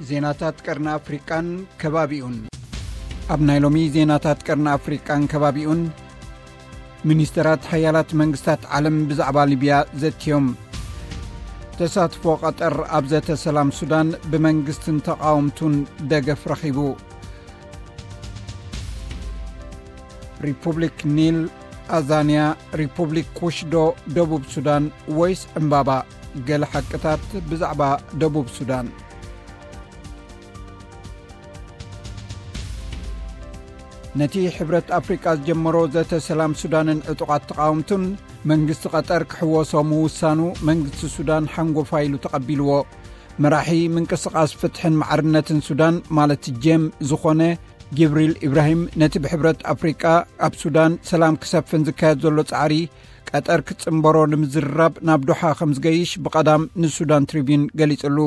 ዜናታት ቀርኒ ኣፍሪቃን ከባቢኡን። ኣብ ናይ ሎሚ ዜናታት ቀርኒ ኣፍሪቃን ከባቢኡን፣ ሚኒስተራት ሓያላት መንግስታት ዓለም ብዛዕባ ሊብያ ዘትዮም። ተሳትፎ ቀጠር ኣብ ዘተ ሰላም ሱዳን ብመንግስትን ተቓወምቱን ደገፍ ረኺቡ። ሪፑብሊክ ኒል፣ ኣዛንያ፣ ሪፑብሊክ ኩሽ ዶ ደቡብ ሱዳን ወይስ ዕምባባ? ገለ ሓቅታት ብዛዕባ ደቡብ ሱዳን። ነቲ ሕብረት ኣፍሪቃ ዝጀመሮ ዘተ ሰላም ሱዳንን ዕጡቓት ተቓወምቱን መንግስቲ ቀጠር ክሕወሶ ምውሳኑ መንግስቲ ሱዳን ሓንጎፋይ ኢሉ ተቐቢልዎ። መራሒ ምንቅስቓስ ፍትሕን ማዕርነትን ሱዳን ማለት ጀም ዝኾነ ጅብሪል ኢብራሂም ነቲ ብሕብረት ኣፍሪቃ ኣብ ሱዳን ሰላም ክሰፍን ዝካየድ ዘሎ ጻዕሪ ቀጠር ክጽንበሮ ንምዝርራብ ናብ ዶሓ ከም ዝገይሽ ብቐዳም ንሱዳን ትሪቢዩን ገሊጽሉ።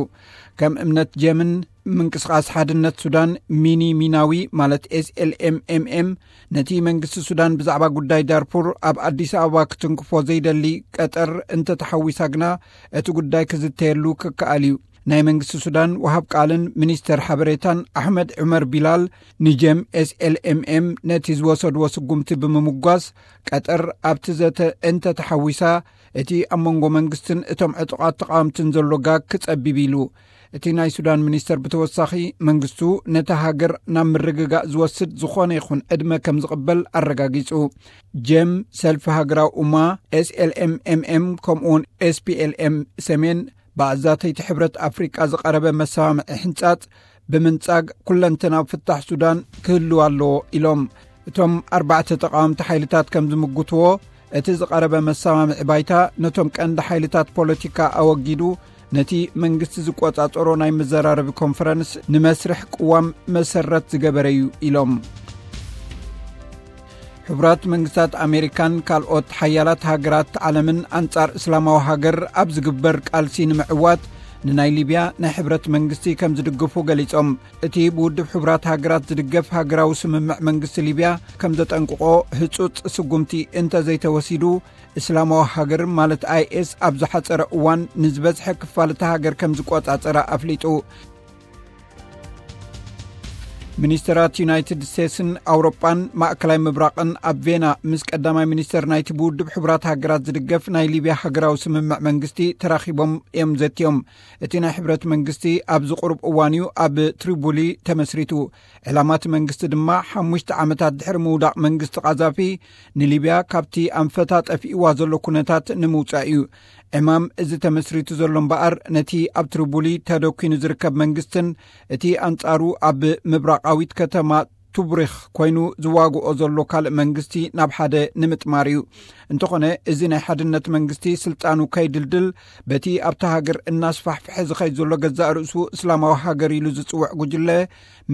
ከም እምነት ጀምን ምንቅስቓስ ሓድነት ሱዳን ሚኒ ሚናዊ ማለት ኤስኤልኤምኤምኤም ነቲ መንግስቲ ሱዳን ብዛዕባ ጉዳይ ዳርፉር ኣብ ኣዲስ ኣበባ ክትንክፎ ዘይደሊ ቀጠር እንተተሓዊሳ ግና እቲ ጉዳይ ክዝተየሉ ክከኣል እዩ። ናይ መንግስቲ ሱዳን ወሃብ ቃልን ሚኒስተር ሓበሬታን ኣሕመድ ዑመር ቢላል ንጀም ኤስኤልኤምኤም ነቲ ዝወሰድዎ ስጉምቲ ብምምጓስ ቀጠር ኣብቲ ዘተ እንተተሓዊሳ እቲ ኣብ መንጎ መንግስትን እቶም ዕጡቓት ተቓወምትን ዘሎ ጋግ ክጸቢብ ኢሉ። እቲ ናይ ሱዳን ሚኒስተር ብተወሳኺ መንግስቱ ነታ ሃገር ናብ ምርግጋእ ዝወስድ ዝኾነ ይኹን ዕድመ ከም ዝቕበል ኣረጋጊጹ። ጀም፣ ሰልፊ ሃገራዊ እማ፣ ኤስኤልኤምኤምኤም ከምኡውን ኤስፒኤልኤም ሰሜን ብኣዛተይቲ ሕብረት ኣፍሪቃ ዝቐረበ መሰማምዒ ሕንጻጽ ብምንጻግ ኩለንተናዊ ፍታሕ ሱዳን ክህልው ኣለዎ ኢሎም። እቶም ኣርባዕተ ተቓወምቲ ሓይልታት ከም ዝምጉትዎ እቲ ዝቐረበ መሰማምዒ ባይታ ነቶም ቀንዲ ሓይልታት ፖለቲካ ኣወጊዱ ነቲ መንግስቲ ዝቆጻጸሮ ናይ መዘራረቢ ኮንፈረንስ ንመስርሕ ቅዋም መሰረት ዝገበረ እዩ ኢሎም። ሕቡራት መንግስታት ኣሜሪካን ካልኦት ሓያላት ሃገራት ዓለምን ኣንጻር እስላማዊ ሃገር ኣብ ዝግበር ቃልሲ ንምዕዋት ንናይ ሊብያ ናይ ሕብረት መንግስቲ ከም ዝድግፉ ገሊጾም። እቲ ብውድብ ሕቡራት ሃገራት ዝድገፍ ሃገራዊ ስምምዕ መንግስቲ ሊብያ ከም ዘጠንቅቖ ህጹጽ ስጉምቲ እንተዘይተወሲዱ እስላማዊ ሃገር ማለት ኣይኤስ ኣብ ዝሓጸረ እዋን ንዝበዝሐ ክፋል እታ ሃገር ከም ዝቆጻጸራ ኣፍሊጡ። ሚኒስተራት ዩናይትድ ስቴትስን ኣውሮጳን ማእከላይ ምብራቕን ኣብ ቬና ምስ ቀዳማይ ሚኒስተር ናይቲ ብውድብ ሕቡራት ሃገራት ዝድገፍ ናይ ሊብያ ሃገራዊ ስምምዕ መንግስቲ ተራኺቦም እዮም ዘትዮም። እቲ ናይ ሕብረት መንግስቲ ኣብዚ ቁሩብ እዋን እዩ ኣብ ትሪቡሊ ተመስሪቱ። ዕላማ እቲ መንግስቲ ድማ ሓሙሽተ ዓመታት ድሕሪ ምውዳቕ መንግስቲ ቃዛፊ ንሊብያ ካብቲ ኣንፈታ ጠፊእዋ ዘሎ ኩነታት ንምውጻእ እዩ። ዕማም እዚ ተመስሪቱ ዘሎ እምበኣር ነቲ ኣብ ትሪቡሊ ተደኲኑ ዝርከብ መንግስትን እቲ ኣንጻሩ ኣብ ምብራቓዊት ከተማ ቱብሪኽ ኮይኑ ዝዋግኦ ዘሎ ካልእ መንግስቲ ናብ ሓደ ንምጥማር እዩ። እንተኾነ እዚ ናይ ሓድነት መንግስቲ ስልጣኑ ከይድልድል በቲ ኣብታ ሃገር እናስፋሕፍሐ ዝኸይድ ዘሎ ገዛእ ርእሱ እስላማዊ ሃገር ኢሉ ዝጽውዕ ጉጅለ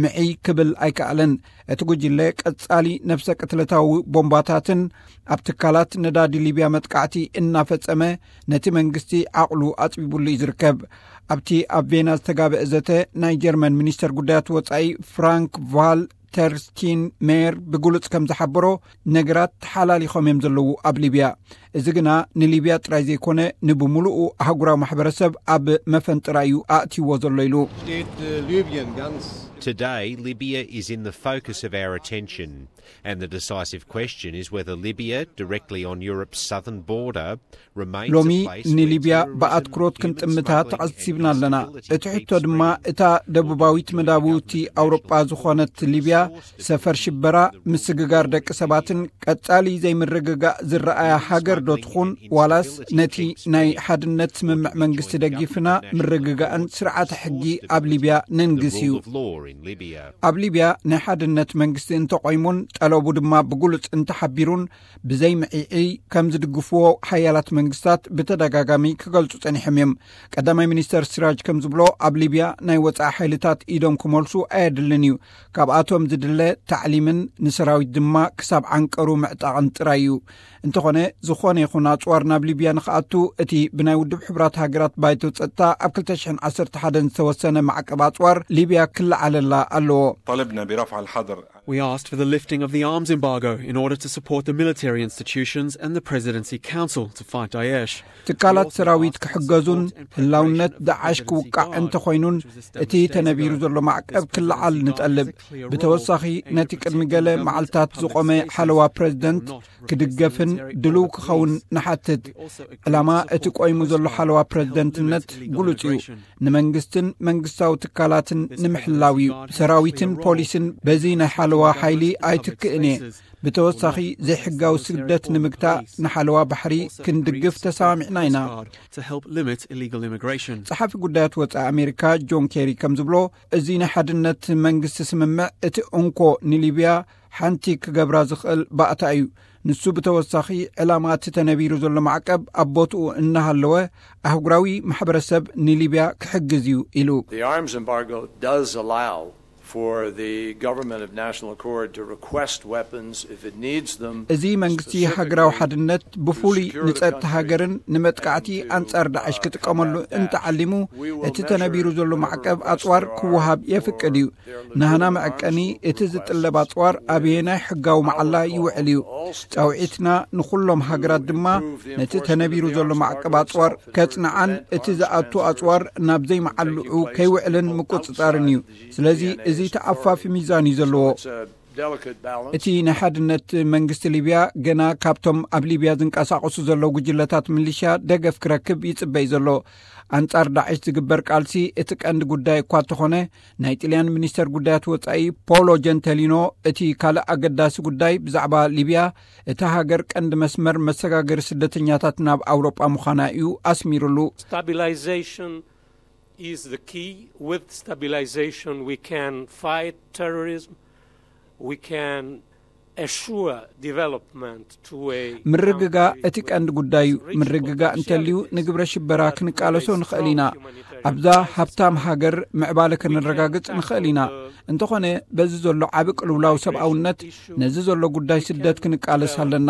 ምዒ ክብል ኣይከኣለን። እቲ ጉጅለ ቀጻሊ ነፍሰ ቅትለታዊ ቦምባታትን ኣብ ትካላት ነዳዲ ሊብያ መጥቃዕቲ እናፈጸመ ነቲ መንግስቲ ዓቕሉ ኣጽቢቡሉ እዩ ዝርከብ። ኣብቲ ኣብ ቬና ዝተጋበአ ዘተ ናይ ጀርመን ሚኒስተር ጉዳያት ወጻኢ ፍራንክ ቫል ተርስቲን ሜየር ብግሉጽ ከም ዝሓበሮ ነገራት ተሓላሊኾም እዮም ዘለዉ ኣብ ሊብያ። እዚ ግና ንሊብያ ጥራይ ዘይኮነ ንብምሉኡ ኣህጉራዊ ማሕበረሰብ ኣብ መፈንጥራ እዩ ኣእትይዎ ዘሎ ኢሉ። Today, Libya is in the focus of our attention, and the decisive question is whether Libya, directly on Europe's southern border, remains ሎሚ a place where ንሊብያ terrorism, ብኣትኩሮት human ክንጥምታ smuggling, ተቐሲብና and ኣለና። instability እቲ ሕቶ keeps ድማ spreading. እታ ደቡባዊት መዳብውቲ ኣውሮጳ ዝኾነት ሊብያ ሰፈር ሽበራ፣ ምስግጋር ደቂ ሰባትን ቀጻሊ ዘይምርግጋእ ዝረኣያ ሃገር ዶ ትኹን፣ ዋላስ ነቲ ናይ ሓድነት ስምምዕ መንግስቲ ደጊፍና ምርግጋእን ስርዓተ ሕጊ ኣብ ሊብያ ነንግስ እዩ? ኣብ ሊብያ ናይ ሓድነት መንግስቲ እንተቆይሙን ጠለቡ ድማ ብግሉጽ እንተሓቢሩን ብዘይ ምዒዒ ከም ዝድግፍዎ ሓያላት መንግስታት ብተደጋጋሚ ክገልጹ ጸኒሖም እዮም። ቀዳማይ ሚኒስተር ሲራጅ ከም ዝብሎ ኣብ ሊብያ ናይ ወጻኢ ሓይልታት ኢዶም ክመልሱ ኣየድልን እዩ። ካብኣቶም ዝድለ ታዕሊምን ንሰራዊት ድማ ክሳብ ዓንቀሩ ምዕጣቕን ጥራይ እዩ። እንተኾነ ዝኾነ ይኹን ኣጽዋር ናብ ሊብያ ንኽኣቱ እቲ ብናይ ውድብ ሕቡራት ሃገራት ባይቶ ጸጥታ ኣብ ክልተ ሽሕን ዓሰርተ ሓደን ዝተወሰነ ማዕቀብ ኣጽዋር ሊብያ ክለዓለላ ኣለዎ። طالبنا برفع الحظر We asked for the lifting of the arms embargo in order to support the military institutions and the Presidency Council to fight Daesh. ትካላት ሰራዊት ክሕገዙን ህላውነት ዳዓሽ ክውቃዕ እንተኾይኑን እቲ ተነቢሩ ዘሎ ማዕቀብ ክለዓል ንጠልብ። ብተወሳኺ ነቲ ቅድሚ ገለ መዓልታት ዝቖመ ሓለዋ ፕሬዝደንት ክድገፍን ድልው ክኸውን ንሓትት። ዕላማ እቲ ቆይሙ ዘሎ ሓለዋ ፕሬዝደንትነት ግሉጽ እዩ። ንመንግስትን መንግስታዊ ትካላትን ንምሕላው እዩ። ሰራዊትን ፖሊስን በዚ ናይ ሓለዋ ሓይሊ ኣይትክእን እየ። ብተወሳኺ ዘይሕጋዊ ስግደት ንምግታእ ንሓለዋ ባሕሪ ክንድግፍ ተሰማሚዕና ኢና። To help limit illegal immigration. ጸሓፊ ጉዳያት ወጻኢ ኣሜሪካ ጆን ኬሪ ከም ዝብሎ፣ እዚ ናይ ሓድነት መንግስቲ ስምምዕ እቲ እንኮ ንሊብያ ሓንቲ ክገብራ ዝኽእል ባእታ እዩ። ንሱ ብተወሳኺ ዕላማ እቲ ተነቢሩ ዘሎ ማዕቀብ ኣብ ቦትኡ እናሃለወ ኣህጉራዊ ማሕበረሰብ ንሊብያ ክሕግዝ እዩ ኢሉ። The arms embargo does allow for the government of national accord to request weapons if it needs them. እዚ መንግስቲ ሃገራዊ ሓድነት ብፍሉይ ንጸጥታ ሃገርን ንመጥቃዕቲ ኣንጻር ዳዕሽ ክጥቀመሉ እንተዓሊሙ፣ እቲ ተነቢሩ ዘሎ ማዕቀብ ኣጽዋር ክወሃብ የፍቅድ እዩ። ናህና መዐቀኒ እቲ ዝጥለብ ኣጽዋር ኣበየናይ ሕጋዊ መዓላ ይውዕል እዩ። ጻውዒትና ንኹሎም ሃገራት ድማ ነቲ ተነቢሩ ዘሎ ማዕቀብ ኣጽዋር ከጽንዓን እቲ ዝኣቱ ኣጽዋር ናብ ዘይመዓልዑ ከይውዕልን ምቁጽጻርን እዩ። ስለዚ እዚ ተኣፋፊ ሚዛን እዩ ዘለዎ። እቲ ናይ ሓድነት መንግስቲ ሊብያ ገና ካብቶም ኣብ ሊብያ ዝንቀሳቐሱ ዘለዉ ጉጅለታት ሚሊሽያ ደገፍ ክረክብ ይጽበይ ዘሎ። ኣንጻር ዳዕሽ ዝግበር ቃልሲ እቲ ቀንዲ ጉዳይ እኳ እንተኾነ፣ ናይ ጥልያን ሚኒስተር ጉዳያት ወጻኢ ፖሎ ጀንተሊኖ እቲ ካልእ ኣገዳሲ ጉዳይ ብዛዕባ ሊብያ፣ እታ ሃገር ቀንዲ መስመር መሰጋገሪ ስደተኛታት ናብ ኣውሮጳ ምዃና እዩ ኣስሚሩሉ። Stabilization is the key. With stabilization, we can fight terrorism. We can assure development to a ምርግጋእ እቲ ቀንዲ ጉዳይ እዩ። ምርግጋእ እንተልዩ ንግብረ ሽበራ ክንቃለሶ ንኽእል ኢና። ኣብዛ ሃብታም ሃገር ምዕባለ ከነረጋግጽ ንኽእል ኢና። እንተኾነ በዚ ዘሎ ዓቢ ቅልውላው ሰብኣውነት ነዚ ዘሎ ጉዳይ ስደት ክንቃለስ ኣለና።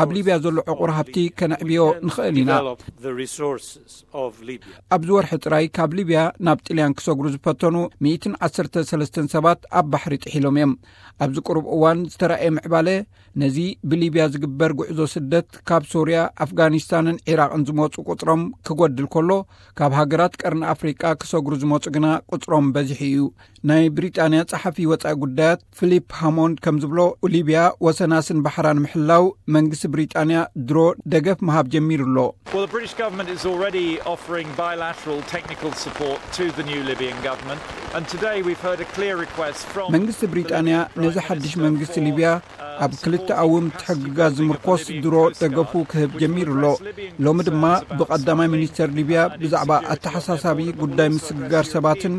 ኣብ ሊብያ ዘሎ ዕቑር ሃብቲ ከነዕብዮ ንኽእል ኢና። Develop the resources of Libya. ኣብዚ ወርሒ ጥራይ ካብ ሊብያ ናብ ጥልያን ክሰግሩ ዝፈተኑ ሚእትን ዓሰርተ ሰለስተን ሰባት ኣብ ባሕሪ ጥሒሎም እዮም። ኣብዚ ቅሩብ እዋን ዝተራእየ ምዕባለ ነዚ ብሊብያ ዝግበር ጉዕዞ ስደት ካብ ሶርያ፣ ኣፍጋኒስታንን ዒራቕን ዝመጹ ቁጽሮም ክጎድል ከሎ፣ ካብ ሃገራት ቀርኒ ኣፍሪቃ ክሰግሩ ዝመጹ ግና ቁጽሮም በዚሑ እዩ። ናይ ብሪጣንያ ጸሓፊ ወጻኢ ጉዳያት ፊሊፕ ሃሞንድ ከም ዝብሎ፣ ሊብያ ወሰናስን ባሕራን ምሕላው መንግስቲ ብሪጣንያ ድሮ ደገፍ ምሃብ ጀሚሩ ኣሎ። Well, the British government is already offering bilateral technical support to the new Libyan government, and today we've heard a clear request from መንግስቲ ብሪጣንያ ነዚ ሓድሽ መንግስቲ ሊብያ ኣብ ክልተኣዊ ምትሕግጋዝ ዝምርኮስ ድሮ ደገፉ ክህብ ጀሚሩ ኣሎ። ሎሚ ድማ ብቐዳማይ ሚኒስተር ሊብያ ብዛዕባ ኣተሓሳሳቢ ጉዳይ ምስግጋር ሰባትን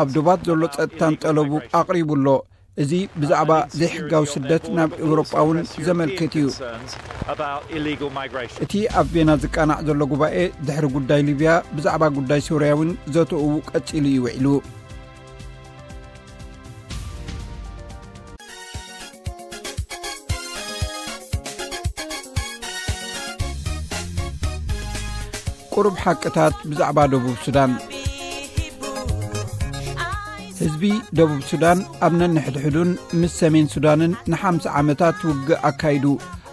ኣብ ዶባት ዘሎ ጸጥታን ጠለቡ ኣቕሪቡ ኣሎ። እዚ ብዛዕባ ዘይሕጋዊ ስደት ናብ ኤውሮጳ እውን ዘመልክት እዩ። About illegal migration. እቲ ኣብ ቬና ዝቃናዕ ዘሎ ጉባኤ ድሕሪ ጉዳይ ሊብያ ብዛዕባ ጉዳይ ሶርያ እውን ዘተኡ ቀጺሉ እዩ ውዒሉ። ቁሩብ ሓቅታት ብዛዕባ ደቡብ ሱዳን። ህዝቢ ደቡብ ሱዳን ኣብ ነንሕድሕዱን ምስ ሰሜን ሱዳንን ንሓምሳ ዓመታት ውግእ ኣካይዱ።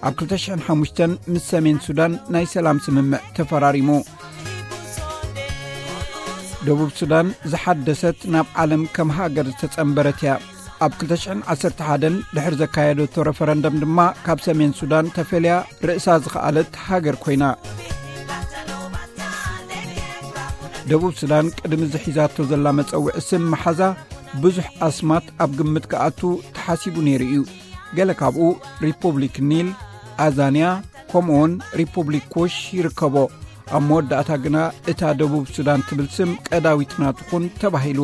ኣብ ክልተ ሽሕን ሓሙሽተን ምስ ሰሜን ሱዳን ናይ ሰላም ስምምዕ ተፈራሪሙ። ደቡብ ሱዳን ዝሓደሰት፣ ናብ ዓለም ከም ሃገር ዝተጸንበረት እያ። ኣብ ክልተ ሽሕን ዓሰርተ ሓደን ድሕሪ ዘካየደቶ ረፈረንደም ድማ ካብ ሰሜን ሱዳን ተፈልያ ርእሳ ዝኸኣለት ሃገር ኮይና። ደቡብ ሱዳን ቅድሚ ዝሒዛቶ ዘላ መጸውዒ ስም መሓዛ ብዙሕ ኣስማት ኣብ ግምት ክኣቱ ተሓሲቡ ነይሩ እዩ። ገለ ካብኡ ሪፑብሊክ ኒል፣ ኣዛንያ፣ ከምኡውን ሪፑብሊክ ኩሽ ይርከቦ። ኣብ መወዳእታ ግና እታ ደቡብ ሱዳን ትብል ስም ቀዳዊት ናትኹን ተባሂሉ።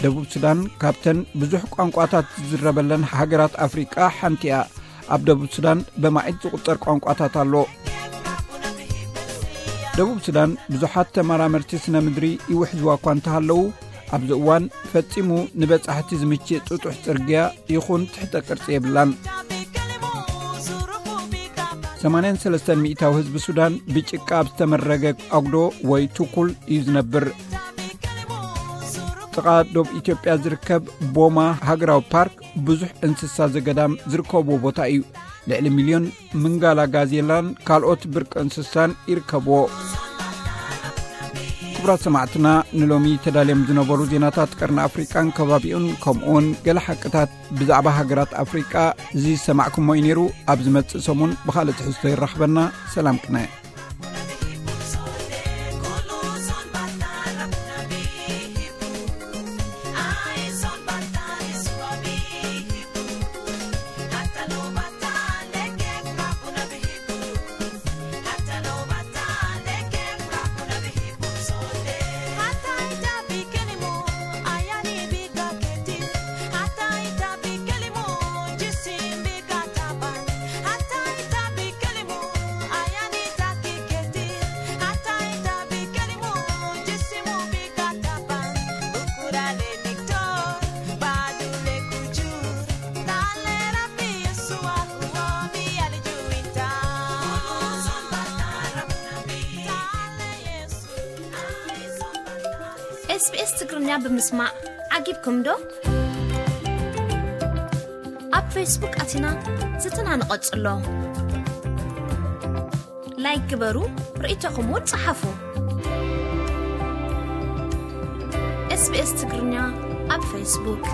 ደቡብ ሱዳን ካብተን ብዙሕ ቋንቋታት ዝዝረበለን ሃገራት ኣፍሪቃ ሓንቲ እያ። ኣብ ደቡብ ሱዳን በማዒት ዝቑጸር ቋንቋታት ኣሎ። ደቡብ ሱዳን ብዙሓት ተመራመርቲ ስነ ምድሪ ይውሕዝዋ እኳ እንተሃለዉ፣ ኣብዚ እዋን ፈጺሙ ንበጻሕቲ ዝምችእ ጥጡሕ ጽርግያ ይኹን ትሕተ ቅርጺ የብላን። ሰማንያን ሰለስተን ሚእታዊ ህዝቢ ሱዳን ብጭቃ ኣብ ዝተመረገ ኣጉዶ ወይ ቱኩል እዩ ዝነብር። ጥቓ ዶብ ኢትዮጵያ ዝርከብ ቦማ ሃገራዊ ፓርክ ብዙሕ እንስሳ ዘገዳም ዝርከብዎ ቦታ እዩ። ልዕሊ ሚልዮን ምንጋላ ጋዜላን ካልኦት ብርቂ እንስሳን ይርከብዎ። ክቡራት ሰማዕትና፣ ንሎሚ ተዳልዮም ዝነበሩ ዜናታት ቀርኒ ኣፍሪቃን ከባቢኡን፣ ከምኡውን ገለ ሓቅታት ብዛዕባ ሃገራት ኣፍሪቃ ዝሰማዕኩሞ እዩ ነይሩ። ኣብ ዝመጽእ ሰሙን ብኻልእ ትሕዝቶ ይራኽበና። ሰላም ቅነ። SBS ትግርኛ ብምስማዕ ዓጊብኩም ዶ? ኣብ ፌስቡክ ኣቲና ዝትና ንቐጽሎ። ላይክ ግበሩ፣ ርእይቶኹም እውን ጸሓፉ። SBS ትግርኛ ኣብ ፌስቡክ።